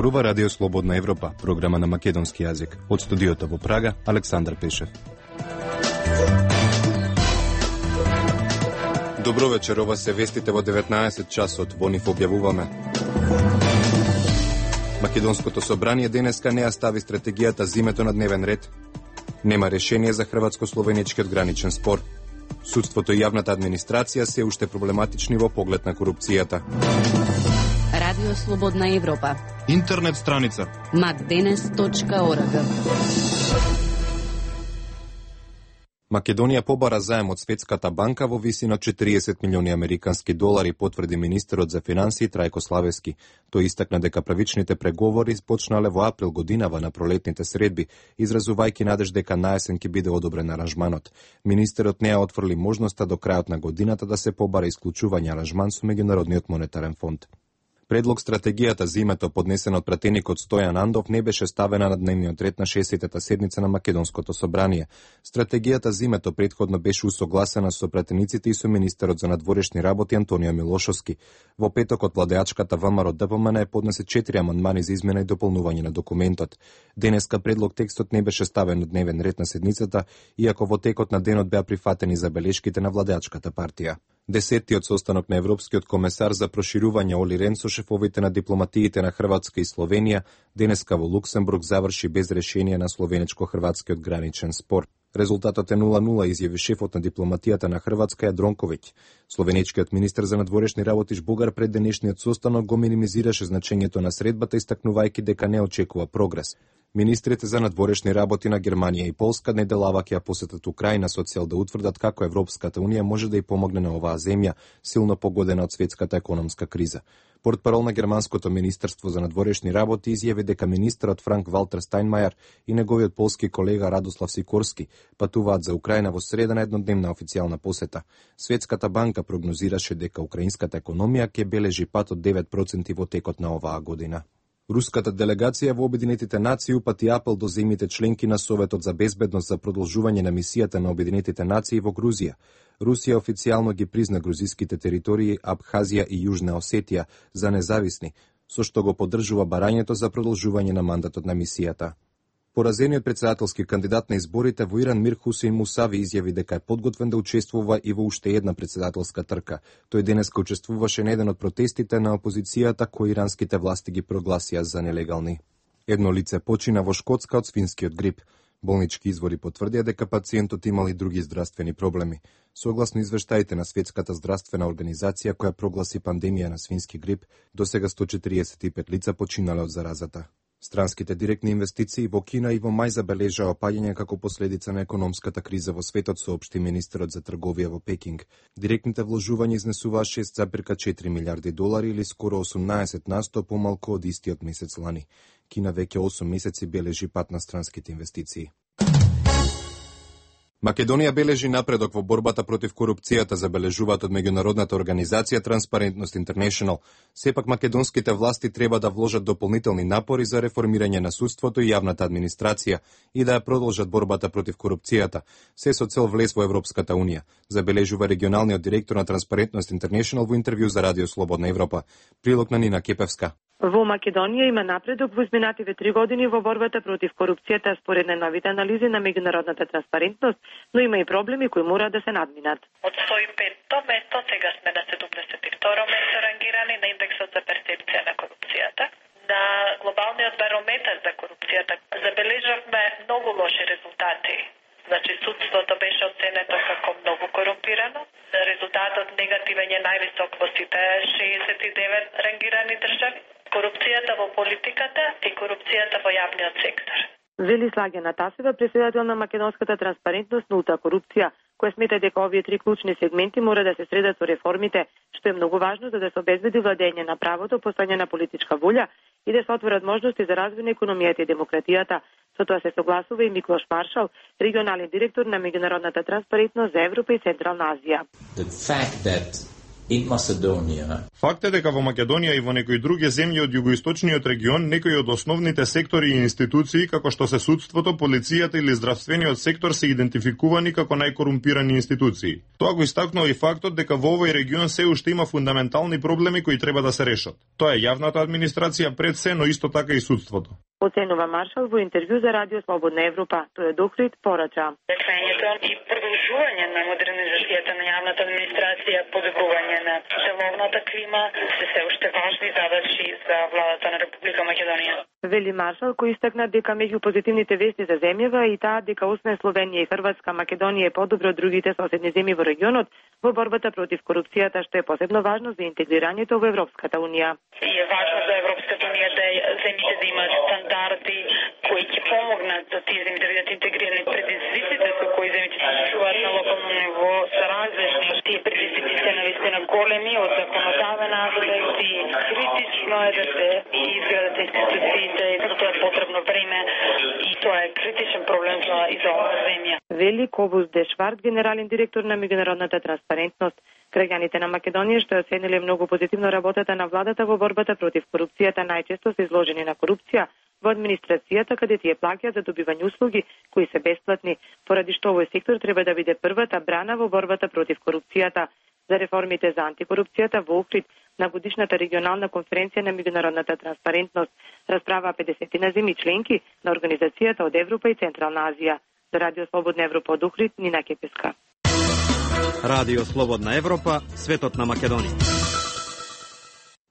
Зборува Радио Слободна Европа, програма на македонски јазик. Од студиото во Прага, Александар Пешев. Добро вечер, ова се вестите во 19 часот, во нив објавуваме. Македонското собрание денеска не ја стави стратегијата за името на дневен ред. Нема решение за хрватско-словеничкиот граничен спор. Судството и јавната администрација се уште проблематични во поглед на корупцијата. Радио Слободна Европа. Интернет страница macdenes.org. Македонија побара заем од Светската банка во висина 40 милиони американски долари, потврди министерот за финансии Трајко Славевски. Тој истакна дека правичните преговори почнале во април годинава на пролетните средби, изразувајќи надеж дека наесен ќе биде одобрен аранжманот. Министерот не ја отфрли можноста до крајот на годината да се побара исклучување аранжман со Меѓународниот монетарен фонд. Предлог стратегијата за името, поднесен од пратеникот Стојан Андов, не беше ставена на дневниот ред на 60-та седница на Македонското собрание. Стратегијата за името претходно беше усогласена со пратениците и со министерот за надворешни работи Антонио Милошовски. Во петокот владеачката ВМРО ДПМН поднесе 4 амандмани за измена и дополнување на документот. Денеска предлог текстот не беше ставен на дневен ред на седницата, иако во текот на денот беа прифатени забелешките на владеачката партија. Десеттиот состанок на Европскиот комесар за проширување Оли Рен со шефовите на дипломатиите на Хрватска и Словенија денеска во Луксембург заврши без решение на словеничко-хрватскиот граничен спор. Резултатот е 0-0, изјави шефот на дипломатијата на Хрватска Јадронковиќ. Словеничкиот министер за надворешни работи Бугар пред денешниот состанок го минимизираше значењето на средбата, истакнувајќи дека не очекува прогрес. Министрите за надворешни работи на Германија и Полска неделава ќе ја посетат Украина со цел да утврдат како Европската унија може да ја помогне на оваа земја, силно погодена од светската економска криза. Портпарол на германското министерство за надворешни работи изјави дека министерот Франк Валтер Стајнмајер и неговиот полски колега Радослав Сикорски патуваат за Украина во среда на еднодневна официјална посета. Светската банка прогнозираше дека украинската економија ќе бележи пат од 9% во текот на оваа година. Руската делегација во Обединетите нации упати апел до земјите членки на Советот за безбедност за продолжување на мисијата на Обединетите нации во Грузија. Русија официјално ги призна грузиските територии Абхазија и Јужна Осетија за независни, со што го поддржува барањето за продолжување на мандатот на мисијата. Поразениот претседателски кандидат на изборите во Иран Мир Хусейн Мусави изјави дека е подготвен да учествува и во уште една претседателска трка. Тој денеска учествуваше на еден од протестите на опозицијата кои иранските власти ги прогласија за нелегални. Едно лице почина во Шкотска од свинскиот грип. Болнички извори потврдија дека пациентот имал и други здравствени проблеми. Согласно извештаите на Светската здравствена организација која прогласи пандемија на свински грип, досега 145 лица починале од заразата. Странските директни инвестиции во Кина и во мај забележаа опаѓање како последица на економската криза во светот, соопшти министерот за трговија во Пекинг. Директните вложувања изнесуваа 6,4 милиарди долари или скоро 18% помалку од истиот месец лани. Кина веќе 8 месеци бележи пат на странските инвестиции. Македонија бележи напредок во борбата против корупцијата, забележуваат од меѓународната организација Transparency International. Сепак македонските власти треба да вложат дополнителни напори за реформирање на судството и јавната администрација и да ја продолжат борбата против корупцијата, се со цел влез во Европската унија, забележува регионалниот директор на Transparency International во интервју за Радио Слободна Европа. Прилог на Нина Кепевска. Во Македонија има напредок во изминативе 3 години во борбата против корупцијата според најновите анализи на меѓународната транспарентност, но има и проблеми кои мора да се надминат. Од 105-то место сега сме на 72-ро место рангирани на индексот за перцепција на корупцијата. На глобалниот барометар за корупцијата забележавме многу лоши резултати. Значи, судството беше оценето како многу корумпирано. Резултатот негативен е највисок во сите 69 рангирани држави. Корупцијата во политиката и корупцијата во јавниот сектор. Вели Слагена Тасева, претседател на македонската транспарентност, нулта корупција, која смета дека овие 3 клучни сегменти мора да се средат со реформите, што е многу важно за да се обезбеди владење на правото, постојање на политичка волја и да се отворат можности за развој на економијата и демократијата. Со тоа се согласува и Миклош Маршал, регионален директор на меѓународната транспарентност за Европа и Централна Азија. in Macedonia. Факт е дека во Македонија и во некои други земји од југоисточниот регион некои од основните сектори и институции, како што се судството, полицијата или здравствениот сектор, се идентификувани како најкорумпирани институции. Тоа го истакнува и фактот дека во овој регион се уште има фундаментални проблеми кои треба да се решат. Тоа е јавната администрација пред се, но исто така и судството. Оценува Маршал во интервју за Радио Слободна Европа. Тој е Дохрид порача. Реквењето и продолжување на модернизацијата на јавната администрација, подобрување на деловната клима се уште важни задачи за владата на Република Македонија. Вели Маршал, кој истакна дека меѓу позитивните вести за земјава и таа дека освен Словенија и Хрватска, Македонија е подобро од другите соседни земји во регионот во борбата против корупцијата, што е посебно важно за интегрирањето во Европската унија. И е важно за Европската унија да земјите да имаат стандарди кои ќе помогнат за тие земји да бидат интегрирани. Предизвиците со кои земјите се соочуваат на локално ниво се различни. Тие предизвици се навистина големи од законодавен аспект и критично е да се изградат институциите, тоа е потребно време и тоа е критичен проблем за оваа земја. Вели Кобус Дешвард, генерален директор на меѓународната транспарентност. Граѓаните на Македонија што оцениле многу позитивно работата на владата во борбата против корупцијата, најчесто се изложени на корупција во администрацијата, каде тие плаќаат за добивање услуги кои се бесплатни, поради што овој сектор треба да биде првата брана во борбата против корупцијата. За реформите за антикорупцијата во Охрид на годишната регионална конференција на меѓународната транспарентност расправа 50 земји членки на Организацијата од Европа и Централна Азија. За Радио Слободна Европа од Охрид, Нина Кепеска. Радио Слободна Европа, светот на Македонија.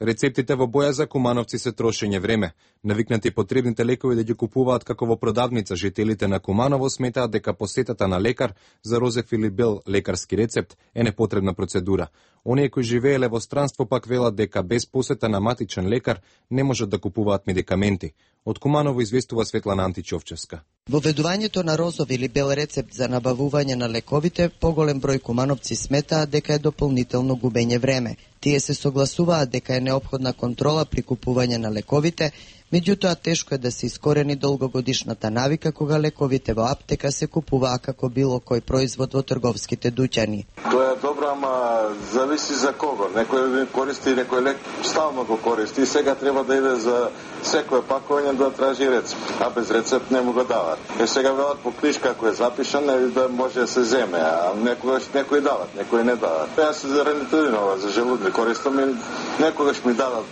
Рецептите во Бојаза Кумановци се трошење време. Навикнати потребните лекови да ги купуваат како во продавница, жителите на Куманово сметаат дека посетата на лекар за розефилибел лекарски рецепт е непотребна процедура. Оние кои живееле во странство пак велат дека без посета на матичен лекар не можат да купуваат медикаменти. Од Куманово известува Светлана Античовчевска. Воведувањето на розов или бел рецепт за набавување на лековите, поголем број кумановци сметаат дека е дополнително губење време. Тие се согласуваат дека е неопходна контрола при купување на лековите, меѓутоа тешко е да се искорени долгогодишната навика кога лековите во аптека се купуваа како било кој производ во трговските дуќани. Тоа е добро, ама зависи за кого. Некој користи, некој лек стално го користи и сега треба да иде за секое пакување да тражи рецепт, а без рецепт не му го дават. Сега велат по книжка ако е запишан да може да се земе, а некој дават, некој не дават. Јас се за ренитидинова, за желудни користам и некогаш ми дадат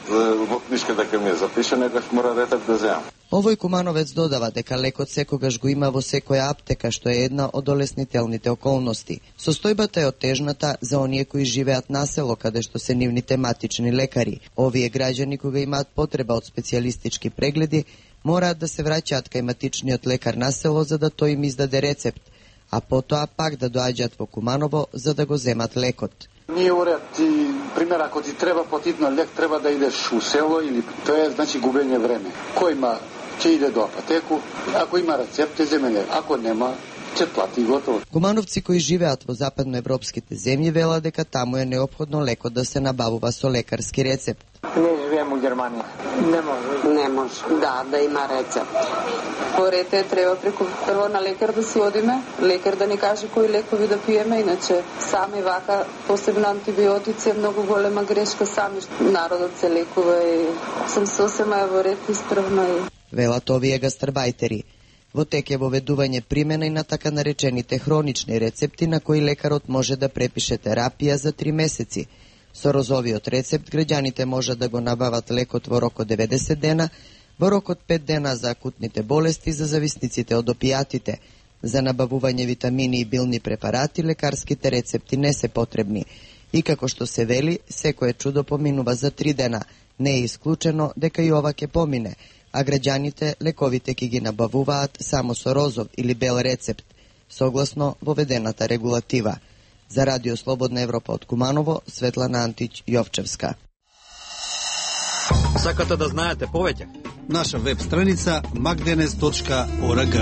во книжка дека ми е запишан, некогаш мора рецепт да земам. Овој кумановец додава дека лекот секогаш го има во секоја аптека, што е една од олеснителните околности. Состојбата е отежната за оние кои живеат на село, каде што се нивните матични лекари. Овие граѓани кога имаат потреба од специјалистички прегледи, мораат да се враќаат кај матичниот лекар на село за да тој им издаде рецепт, а потоа пак да доаѓаат во Куманово за да го земат лекот. Ние уред и пример, ако ти треба потитно лек, треба да идеш у село или тоа е значи губење време. Кој има ќе иде до апотеку, ако има рецепт, земе лек, ако нема, ќе плати готово. Кумановци кои живеат во западноевропските земји велат дека таму е неопходно лекот да се набавува со лекарски рецепт. Не живеем у Германија. Не може. Не може, да има рецепт. Порете треба преку прво на лекар да си одиме, лекар да ни каже кои лекови да пиеме, иначе сами вака, посебно антибиотици е многу голема грешка, сами народот се лекува и сам сосема во ред исправна и... Велат овие гастарбајтери. Во тек е воведување примена и на така наречените хронични рецепти на кои лекарот може да препише терапија за 3 месеци. Со розовиот рецепт граѓаните можат да го набават лекот во рок од 90 дена, во рок од 5 дена за акутните болести за зависниците од опијатите. За набавување витамини и билни препарати лекарските рецепти не се потребни. И како што се вели, секое чудо поминува за 3 дена. Не е исклучено дека и ова ќе помине, а граѓаните лековите ќе ги набавуваат само со розов или бел рецепт, согласно воведената регулатива. За Радио Слободна Европа од Куманово, Светлана Антич Јовчевска. Сакате да знаете повеќе? Наша веб страница magdenes.org.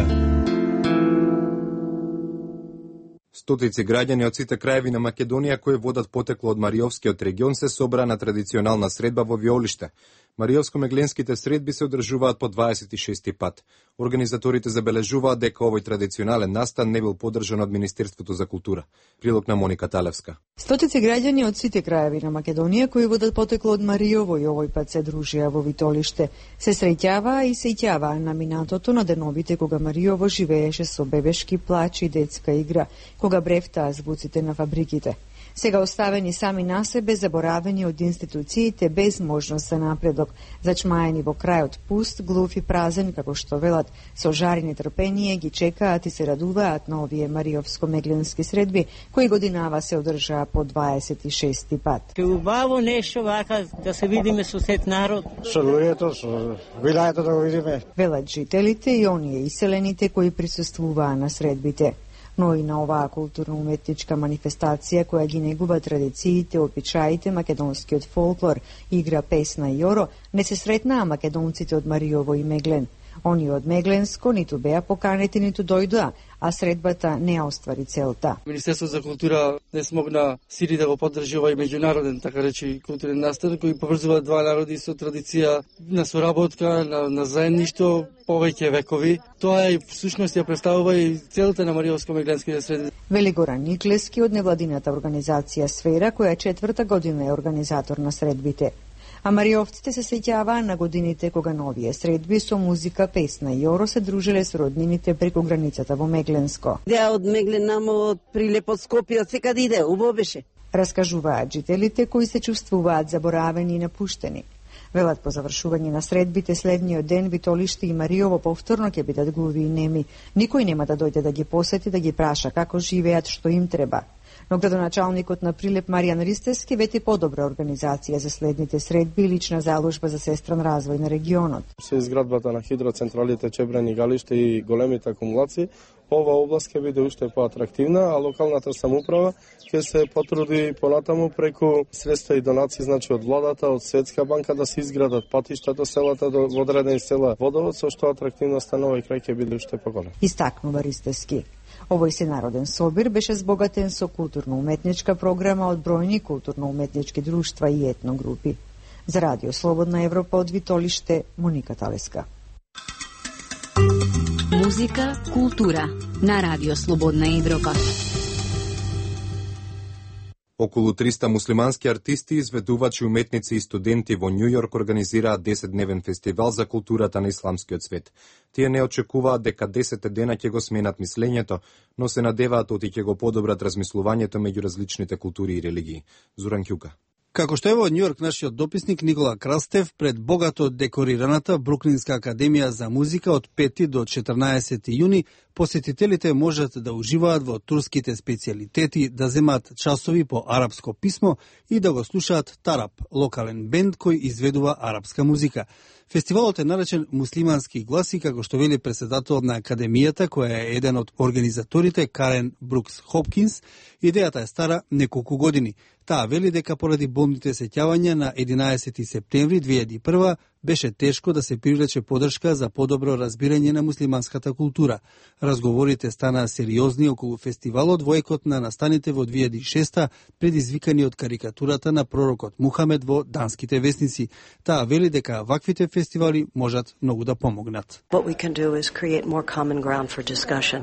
Стотици граѓани од сите краеви на Македонија кои водат потекло од Мариовскиот регион се собраа на традиционална средба во Виолиште. Мариовско-мегленските средби се одржуваат по 26 пат. Организаторите забележуваат дека овој традиционален настан не бил поддржан од Министерството за култура. Прилог на Моника Талевска. Стотици граѓани од сите краеви на Македонија кои водат потекло од Мариово и овој пат се дружија во Витолиште, се среќаваа и сеќаваа на минатото на деновите кога Мариово живееше со бебешки плач и детска игра, кога брефтаа звуците на фабриките. Сега оставени сами на себе, заборавени од институциите без можност за напредок, зачмаени во крајот пуст, глув и празен, како што велат, со жар и нетрпение ги чекаат и се радуваат на овие Мариовско-мегленски средби, кои годинава се одржаа по 26 пат. Убаво нешто вака да се видиме со сет народ. Со луѓето, со вилајето да го видиме. Велат жителите и оние иселените кои присуствуваа на средбите. Но и на оваа културно-уметничка манифестација која ги негува традициите, обичаите, македонскиот фолклор, игра, песна и оро, не се сретнаа македонците од Мариово и Меглен. Они од Мегленско ниту беа поканети, ниту дојдоа, а средбата не оствари целта. Министерството за култура не смогна сили да го поддржи овој меѓународен, така речи, културен настан кој поврзува два народи со традиција на соработка, на заедништво повеќе векови. Тоа е всушност ја представува и целта на Мариовско-мегленските средби. Вели Горан Никлески од невладината организација Сфера, која 4-та година е организатор на средбите. А мариовците се сеќаваа на годините кога на овие средби со музика, песна и оро се дружиле со роднините преку границата во Мегленско. Деа од Меглен намо од Прилеп од Скопје, секаде иде, убаво беше. Раскажуваат жителите кои се чувствуваат заборавени и напуштени. Велат по завршување на средбите следниот ден Витолиште и Мариово повторно ќе бидат глуви и неми. Никој нема да дојде да ги посети, да ги праша како живеат, што им треба. Но градоначалникот на Прилеп Маријан Ристевски вети подобра организација за следните средби и лична заложба за сестран развој на регионот. Со изградбата на хидроцентралите Чебрен и Галиште и големите акумулации, ова област ќе биде уште поатрактивна, а локалната самоуправа ќе се потруди понатаму преку средства и донации, значи од владата, од Светска банка да се изградат патишта до селата, до одредени села водовод, со што атрактивноста на овој крај ќе биде уште поголема. Истакнува Ристевски. Овој сенароден собир беше збогатен со културно-уметничка програма од бројни културно-уметнички друштва и етногрупи. За Радио Слободна Европа од Витолиште, Моника Талеска. Музика, култура на Радио Слободна Европа. Околу 300 муслимански артисти, изведувачи, уметници и студенти во Њу Јорк организираат 10-дневен фестивал за културата на исламскиот свет. Тие не очекуваат дека 10 дена ќе го сменат мислењето, но се надеваат оти ќе го подобрат размислувањето меѓу различните култури и религии. Зуран Ќука. Како што е во Њу Јорк нашиот дописник Никола Крастев пред богато декорираната Бруклинска академија за музика од 5 до 14 јуни, посетителите можат да уживаат во турските специјалитети, да земат часови по арапско писмо и да го слушаат тарап, локален бенд кој изведува арапска музика. Фестивалот е наречен Муслимански гласи, како што вели претседателот на академијата, која е еден од организаторите, Карен Брукс Хопкинс. Идејата е стара неколку години. Таа вели дека поради болните сеќавања на 11 септември 2001 беше тешко да се привлече поддршка за подобро разбирање на муслиманската култура. Разговорите станаа сериозни околу фестивалот во екот на настаните во 2006 предизвикани од карикатурата на пророкот Мухамед во данските весници. Таа вели дека ваквите фестивали можат многу да помогнат. What we can do is create more common ground for discussion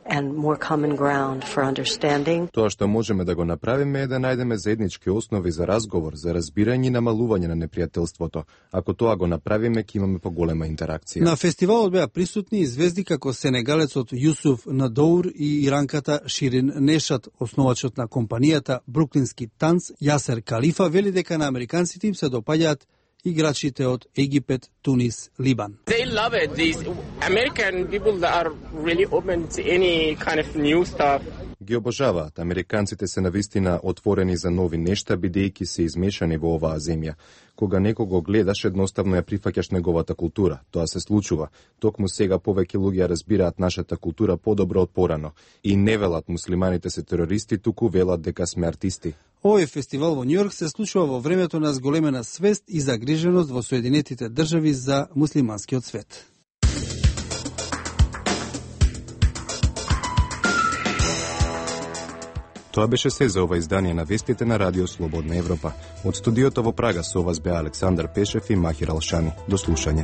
and more common ground for understanding. Тоа што можеме да го направиме е да најдеме заеднички основи за разговор, за разбирање и намалување на непријателството. Ако тоа го направиме, ќе имаме поголема интеракција. На фестивалот беа присутни и звезди како сенегалецот Јусуф Надоур и иранката Ширин Нешат. Основачот на компанијата Бруклински танц Јасер Калифа вели дека на американците им се допаѓаат играчите од Египет, Тунис, Либан. They love it. These American people that are really open to any kind of new stuff. Ги обожаваат. Американците се навистина отворени за нови нешта, бидејќи се измешани во оваа земја. Кога некого гледаш, едноставно ја прифаќаш неговата култура. Тоа се случува. Токму сега повеќе луѓе разбираат нашата култура подобро од порано. И не велат муслиманите се терористи, туку велат дека сме артисти. Овој фестивал во Њу Јорк се случува во времето на зголемена свест и загриженост во Соединетите држави за муслиманскиот свет. Тоа беше се за ова издание на вестите на Радио Слободна Европа. Од студиото во Прага со вас беа Александар Пешев и Махир Алшани. До слушање.